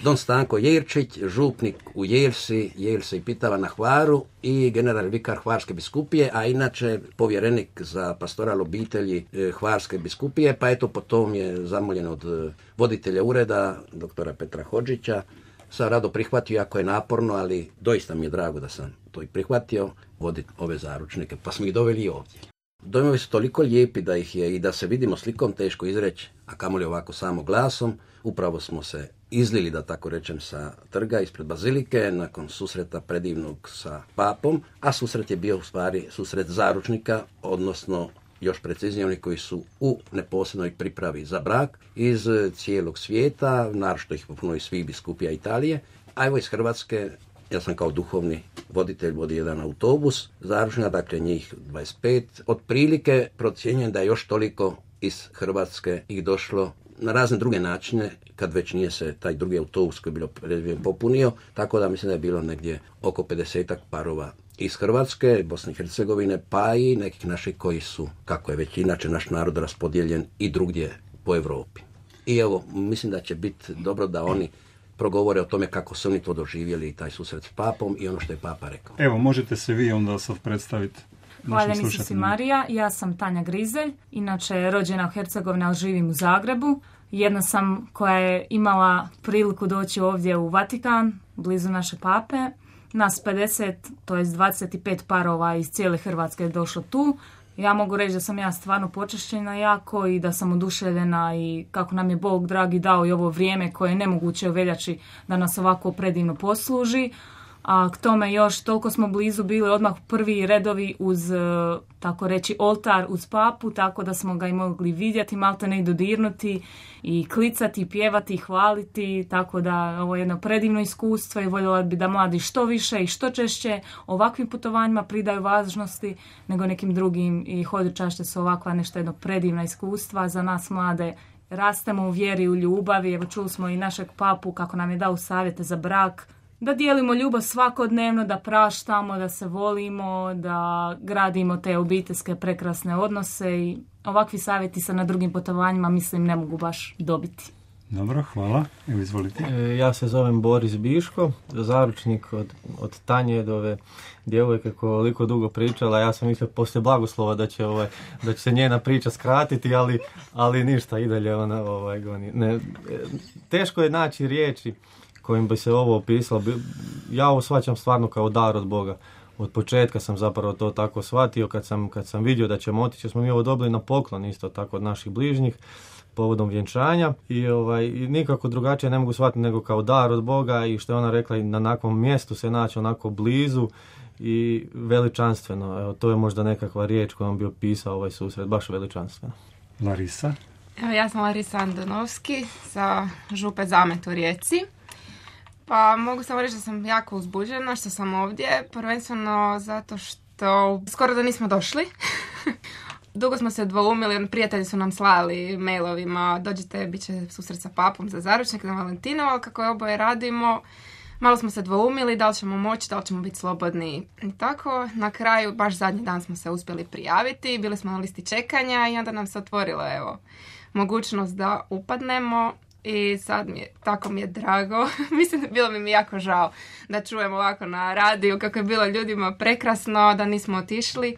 Don Stanko Jerčić, župnik u Jelsi Pitava na Hvaru i general vikar Hvarske biskupije, a inače povjerenik za pastoral obitelji Hvarske biskupije, pa eto potom je zamoljen od voditelja ureda, doktora Petra Hodžića. Sam rado prihvatio, jako je naporno, ali doista mi je drago da sam to i prihvatio, voditi ove zaručnike, pa smo ih doveli i ovdje. Dojmovi su toliko lijepi da ih je i da se vidimo slikom teško izreći, a kamoli ovako samo glasom. Upravo smo se izlili, da tako rečem, sa trga ispred bazilike nakon susreta predivnog sa papom, a susret je bio u stvari susret zaručnika, odnosno još preciznije oni koji su u neposrednoj pripravi za brak iz cijelog svijeta, naročito ih puno iz svih biskupija Italije, a evo iz Hrvatske. Ja sam kao duhovni voditelj vodio jedan autobus zaručnika, dakle njih 25. Otprilike procjenjujem da je još toliko iz Hrvatske ih došlo na razne druge načine, kad već nije se taj drugi autobus koji je bilo predviđen popunio, tako da mislim da je bilo negdje oko 50 parova iz Hrvatske, Bosne i Hercegovine, pa i nekih naših koji su, kako je već inače naš narod raspodijeljen i drugdje po Europi. I evo, mislim da će biti dobro da oni progovore o tome kako su oni to doživjeli, taj susret s papom i ono što je papa rekao. Evo, možete se vi onda sad predstaviti. Hvaljeni su si Marija, ja sam Tanja Grizelj, inače rođena u Hercegovini, ali živim u Zagrebu. Jedna sam koja je imala priliku doći ovdje u Vatikan, blizu naše pape. Nas 50, to jest 25 parova iz cijele Hrvatske je došlo tu. Ja mogu reći da sam ja stvarno počašćena jako i da sam oduševljena i kako nam je Bog dragi dao i ovo vrijeme koje je nemoguće u veljači da nas ovako predivno posluži. A k tome još toliko smo blizu bili odmah prvi redovi uz, tako reći, oltar uz papu, tako da smo ga i mogli vidjeti, malte ne i dodirnuti i klicati, pjevati, hvaliti, tako da ovo je jedno predivno iskustvo i voljela bi da mladi što više i što češće ovakvim putovanjima pridaju važnosti nego nekim drugim i hodočašće su ovakva nešto jedno predivna iskustva za nas mlade. Rastemo u vjeri, u ljubavi, evo čuli smo i našeg papu kako nam je dao savjete za brak, da dijelimo ljubav svakodnevno, da praštamo, da se volimo, da gradimo te obiteljske prekrasne odnose i ovakvi savjeti se na drugim putovanjima mislim ne mogu baš dobiti. Dobro, hvala. Evo izvolite. Ja se zovem Boris Biško, zaručnik od Tanje do ove djevojke koja je ovoliko dugo pričala. Ja sam mislio poslije blagoslova da će se njena priča skratiti, ali ništa, i dalje ona goni. Ne, teško je naći riječi kojim bi se ovo opisalo. Ja ovo shvaćam stvarno kao dar od Boga. Od početka sam zapravo to tako shvatio kad sam vidio da ćemo otići, smo mi ovo dobili na poklon isto tako od naših bližnjih povodom vjenčanja i nikako drugačije ne mogu shvatiti nego kao dar od Boga i što je ona rekla i na nakvom mjestu se naći onako blizu i veličanstveno. Evo, to je možda nekakva riječ kojom bi opisao ovaj susret, baš veličanstveno. Larisa? Evo, ja sam Larisa Andonovski sa župe Zamet u Rijeci. Pa mogu samo reći da sam jako uzbuđena što sam ovdje, prvenstveno zato što skoro da nismo došli. Dugo smo se dvoumili, prijatelji su nam slali mailovima, dođite, bit će susret sa papom za zaručnik na Valentinovo, ali kako je oboje radimo, malo smo se dvoumili da li ćemo moći, da li ćemo biti slobodni i tako. Na kraju, baš zadnji dan smo se uspjeli prijaviti, bili smo na listi čekanja i onda nam se otvorila mogućnost da upadnemo. I sad tako mi je drago, mislim bilo mi jako žao da čujem ovako na radiju kako je bilo ljudima prekrasno, da nismo otišli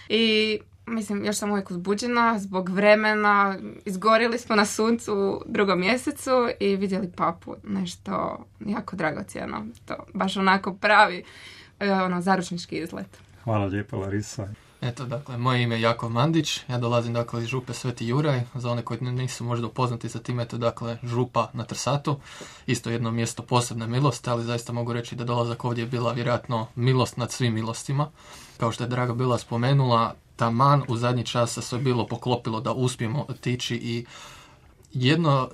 i mislim još sam uvijek uzbuđena zbog vremena, izgorili smo na suncu u 2. mjesecu i vidjeli papu, nešto jako dragocjeno, to baš onako pravi zaručnički izlet. Hvala lijepo Larisa. Eto, dakle, moje ime je Jakov Mandić, ja dolazim, dakle, iz župe Sveti Juraj, za one koji nisu možda upoznati sa time, to dakle, župa na Trsatu, isto jedno mjesto posebne milosti, ali zaista mogu reći da dolazak ovdje je bila vjerojatno milost nad svim milostima. Kao što je Draga bila spomenula, taman u zadnji čas se sve bilo poklopilo da uspijemo otići i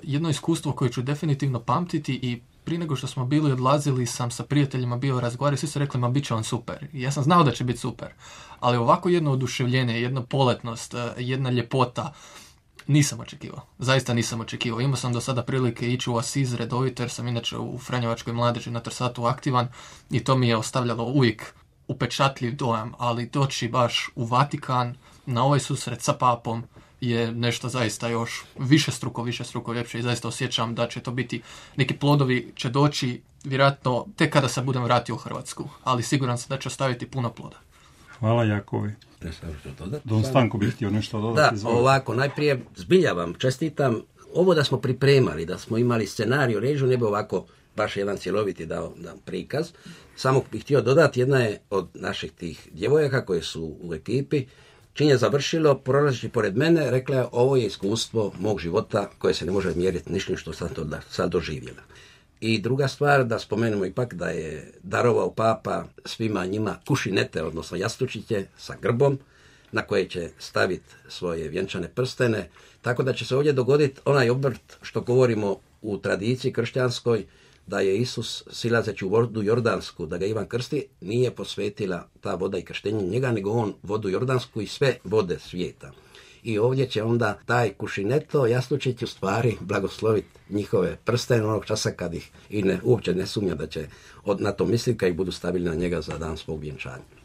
jedno iskustvo koje ću definitivno pamtiti i prije nego što smo bili odlazili sam sa prijateljima bio razgovarao, svi su rekli ma bit će on super. I ja sam znao da će biti super, ali ovako jedno oduševljenje, jedna poletnost, jedna ljepota nisam očekivao. Zaista nisam očekivao. Imao sam do sada prilike ići u Asiz redovito jer sam inače u Franjevačkoj mladeži na Trsatu aktivan i to mi je ostavljalo uvijek upečatljiv dojam, ali doći baš u Vatikan na ovaj susret sa papom, je nešto zaista još više struko ljepše i zaista osjećam da će to biti, neki plodovi će doći vjerojatno tek kada se budem vratio u Hrvatsku, ali siguran sam da će ostaviti puno ploda. Hvala Jakovi. Don Stanko bih htio nešto dodati. Da, ovako, najprije zbilja vam čestitam. Ovo da smo pripremali, da smo imali scenariju, režu, ne bi ovako baš jedan cjeloviti dao prikaz. Samo bih htio dodati, jedna je od naših tih djevojaka koje su u ekipi, čim je završilo, prolazeći pored mene, rekla je, ovo je iskustvo mog života koje se ne može mjeriti ništa što sam to sad doživjela. I druga stvar, da spomenemo ipak da je darovao papa svima njima kušinete, odnosno jastučiće sa grbom, na koje će staviti svoje vjenčane prstene, tako da će se ovdje dogoditi onaj obrt što govorimo u tradiciji kršćanskoj, da je Isus silazeći u vodu Jordansku, da ga Ivan krsti, nije posvetila ta voda i krštenje njega, nego on vodu Jordansku i sve vode svijeta. I ovdje će onda taj kušineto jastučić u stvari blagosloviti njihove prstene onog časa kad ih uopće ne sumnja da će na to misliti kad ih budu stavili na njega za dan svog vjenčanja.